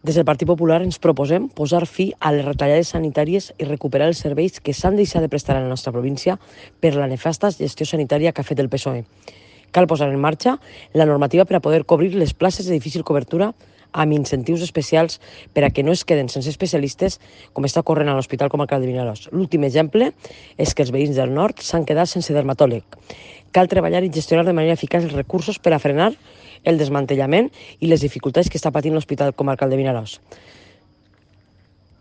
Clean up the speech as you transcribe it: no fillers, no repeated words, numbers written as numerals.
Des del Partit Popular ens proposem posar fi a les retallades sanitàries i recuperar els serveis que s'han deixat de prestar a la nostra província per la nefasta gestió sanitària que ha fet el PSOE. Cal posar en marxa la normativa per a poder cobrir les places de difícil cobertura amb incentius especials per a que no es queden sense especialistes, com està ocorrent a l'Hospital Comarcal de Vinaròs. L'últim exemple és que els veïns del nord s'han quedat sense dermatòleg. Cal treballar i gestionar de manera eficaç els recursos per a frenar el desmantellament i les dificultats que està patint l'Hospital Comarcal de Vinaròs.